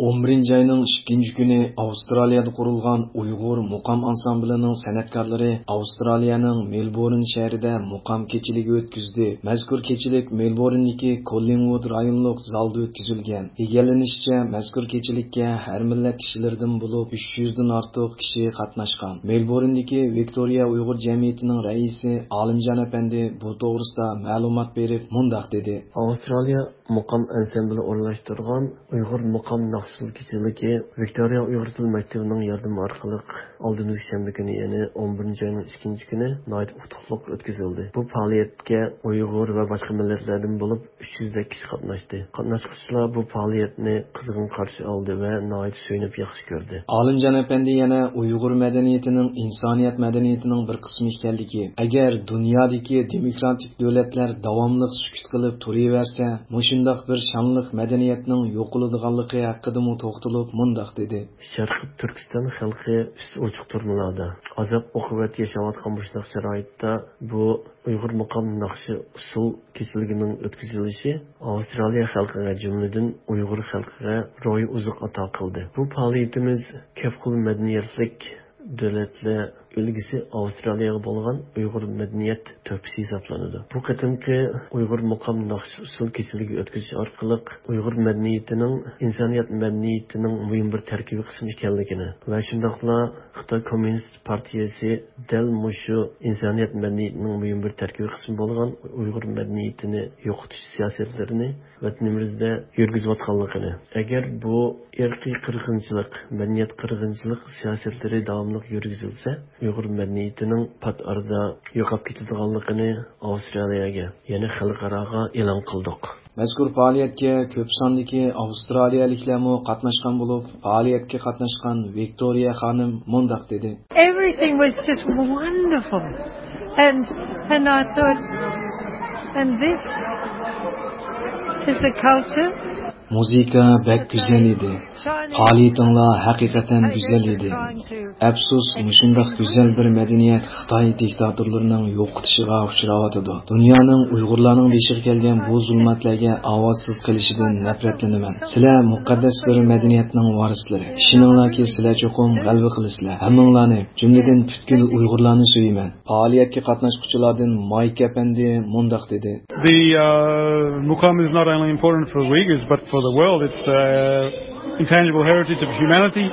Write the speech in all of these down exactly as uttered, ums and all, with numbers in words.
ئون بىرىنچى ئاينىڭ ئىككىنچى كۈنى ئاۋسترالىيەدە قۇرۇلغان ئۇيغۇر مۇقام ئانسامبىلىنىڭ سەنئەتكارلىرى ئاۋسترالىيەنىڭ مېلبورن شەھىرىدە مۇقام كېچىلىكى ئۆتكۈزدى. مەزكۇر كېچىلىك مېلبورندىكى كوللىنگۋۇد رايونلۇق زالدا ئۆتكۈزۈلگەن. ئىگىلىنىشىچە، مەزكۇر كېچىلىككە ھەر مىللەت كىشىلىرىدىن بولۇپ ئۈچ يۈزدىن ئارتۇق كىشى قاتناشقان. مېلبورندىكى ۋىكتورىيە ئۇيغۇر جەمئىيىتىنىڭ رەئىسى ئالىمجان ئەپەندى بۇ توغرىسىدا مەلۇمات بېرىپ مۇنداق دېدى. ئاۋسترالىيە مۇقام ئەنسەمبلى ئورۇنلاشتۇرغان ئۇيغۇر مۇقام ناخشا-ئۇسسۇل كېچىلىكى ۋىكتورىيە ئۇيغۇر تىل مەكتىپىنىڭ ياردىمى ئارقىلىق ئالدىمىزدىكى شەنبە كۈنى، يەنى ئون بىرىنچى ئاينىڭ ئىككىنچى كۈنى ناھايىتى ئۇتۇقلۇق ئۆتكۈزۈلدى. بۇ پائالىيەتكە ئۇيغۇر ۋە باشقا مىللەتلەردىن بولۇپ ئۈچ يۈزدەك كىشى قاتناشتى. قاتناشقۇچىلار بۇ پائالىيەتنى قىزغىن قارشى ئالدى ۋە ناھايىتى سۆيۈنۈپ ياخشى كۆردى. ئالىمجان ئەپەندى يەنە ئۇيغۇر مەدەنىيىتىنىڭ ئىنسانىيەت مەدەنىيىتىنىڭ بىر قىسمى ئىكەنلىكى، ئەگەر دۇنيادىكى دېموكراتىك دۆلەتلەر داۋاملىق سۈكۈت قىلىپ تۇرۇۋەرسە، مۇشۇنداق بىر شانلىق مەدەنىيەتنىڭ يوقىلىدىغانلىقى ھەققىدىمۇ توختىلىپ مۇنداق دېدى. شەرقىي تۈركىستان خەلقى ئۈستى ئوچۇق تۈرمىلەردە، ئازاب-ئوقۇبەت ياشاۋاتقان مۇشۇنداق شارائىتتا بۇ ئۇيغۇر مۇقام ناخشا-ئۇسسۇل كېچىلىكىنىڭ ئۆتكۈزۈلۈشى ئاۋسترالىيە خەلقىگە، جۈملىدىن ئۇيغۇر خەلقىگە روھىي ئوزۇق ئاتا قىلدى. بۇ پائالىيىتىمىز كۆپ خىل مەدەنىيەتلىك دۆلەتلەر ئۈلگىسى ئاۋسترالىيەگە بولغان ئۇيغۇر مەدەنىيەت تۆھپىسى ھېسابلىنىدۇ. بۇ قېتىمقى ئۇيغۇر مۇقام ناخشا-ئۇسسۇل كېچىلىكى ئۆتكۈزۈش ئارقىلىق ئۇيغۇر مەدەنىيىتىنىڭ، ئىنسانىيەت مەدەنىيىتىنىڭ مۇھىم بىر تەركىبىي قىسمى ئىكەنلىكىنى ۋە شۇنداقلا خىتاي كوممۇنىست پارتىيەسى دەل مۇشۇ ئىنسانىيەت مەدەنىيىتىنىڭ مۇھىم بىر تەركىبىي قىسمى بولغان ئۇيغۇر مەدەنىيىتىنى يوقىتىش سىياسەتلىرىنى ۋەتىنىمىزدە يۈرگۈزۈۋاتقانلىقىنى، ئەگەر بۇ ئىرقىي قىرغىنچىلىق، مەدەنىيەت قىرغىنچىلىق سىياسەتلىرى داۋاملىق يۈرگۈزۈلسە، ئۇيغۇر مەدەنىيىتىنىڭ پات ئارىدا يوقاپ كېتىدىغانلىقىنى ئاۋسترالىيەگە، يەنى خەلقئاراغا ئېلان قىلدۇق. مەزكۇر پائالىيەتكە كۆپ ساندىكى ئاۋسترالىيەلىكلەرمۇ قاتناشقان بولۇپ، پائالىيەتكە قاتناشقان ۋىكتورىيە خانىم مۇنداق دېدى. Everything was just wonderful. And, and I thought, and this is the culture. مۇزىكا بەك گۈزەل ئىدى. پائالىيىتىڭلار ھەقىقەتەن گۈزەل ئىدى. ئەپسۇس، مۇشۇنداق گۈزەل بىر مەدەنىيەت خىتاي دىكتاتورلىرىنىڭ يوقىتىشىغا ئۇچراۋاتىدۇ. دۇنيانىڭ ئۇيغۇرلارنىڭ بېشىغا كەلگەن بۇ زۇلمەتلەرگە ئاۋازسىز قېلىشىدىن نەپرەتلىنىمەن. سىلەر مۇقەددەس بىر مەدەنىيەتنىڭ ۋارىسلىرى. ئىشىنىڭلاركى، سىلەر چوقۇم غەلىبە قىلىسىلەر. ھەممىڭلارنى، جۈملىدىن پۈتكۈل ئۇيغۇرلارنى سۆيىمەن. پائالىيەتكە قاتناشقۇچىلاردىن مايك ئەپەندى مۇنداق دېدى. The uh, Mukam is not only important for Uyghurs but for the world. It's uh, intangible heritage of humanity,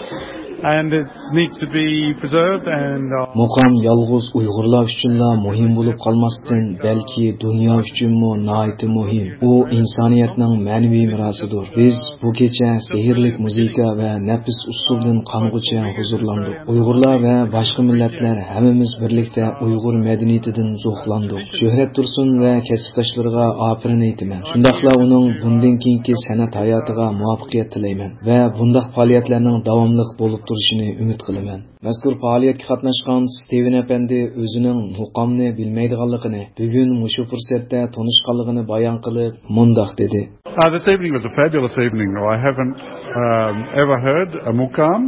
and it needs to be preserved. And uh, مۇقام يالغۇز ئۇيغۇرلار ئۈچۈنلا مۇھىم بولۇپ قالماستىن، بەلكى دۇنيا ئۈچۈنمۇ ناھايىتى مۇھىم. ئۇ ئىنسانىيەتنىڭ مەنىۋى مىراسىدۇر. بىز بۇ كېچە سېھىرلىك مۇزىكا ۋە نەپىس ئۇسسۇلدىن قانغۇچە ھۇزۇرلاندۇق. ئۇيغۇرلار ۋە باشقا مىللەتلەر ھەممىمىز بىرلىكتە ئۇيغۇر مەدەنىيىتىدىن زوقلاندۇق. شۆھرەت تۇرسۇن ۋە كەسىپداشلىرىغا ئاپىرىن ئېيتىمەن. شۇنداقلا ئۇنىڭ بۇندىن كېيىنكى سەنئەت ھاياتىغا مۇۋەپپەقىيەت تىلەيمەن ۋە بۇنداق پائالىيەتلەرنىڭ داۋاملىق بولۇپ تۇرۇشىنى ئۈمىد قىلىمەن. مەزكۇر پائالىيەتكە قاتناشقان ستىۋېن ئەپەندى ئۆزىنىڭ مۇقامنى بىلمەيدىغانلىقىنى، بۈگۈن مۇشۇ پۇرسەتتە تونۇشقانلىقىنى بايان قىلىپ، مۇنداق دېدى. Uh, this evening was a fabulous evening. I haven't um, ever heard a mukam,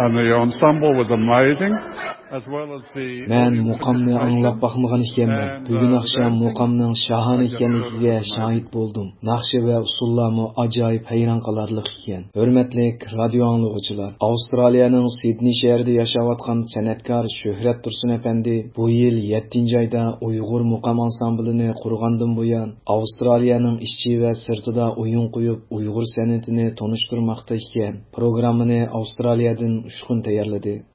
and the ensemble was amazing, as well as the مەن مۇقامنى ئاڭلاپ باقمىغان ئىكەنمەن. بۈگۈن ئاخشام مۇقامنىڭ شاھانە ئىكەنلىكىگە شاھىت بولدۇم. ناخشا ۋە ئۇسسۇللارمۇ ئاجايىپ ھەيران قالارلىق ئىكەن. ھۆرمەتلىك رادىيو ئاڭلىغۇچىلار، ئاۋسترالىيەنىڭ سىدنېي شەھىرىدە ياشاۋاتقان سەنئەتكار شۆھرەت تۇرسۇن ئەپەندى بۇ يىل يەتتىنچى ئايدا ئۇيغۇر مۇقام ئانسامبىلىنى قۇرغاندىن بۇيان، ئاۋسترالىيەنىڭ ئىچى ۋە سىرتىدا ئويۇن قويۇپ، ئۇيغۇر سەنئىتىنى تونۇشتۇرماقتا ئىكەن. پروگراممىنى ئاۋسترالىيەدىن ئۇچقۇن تەييارلىدى.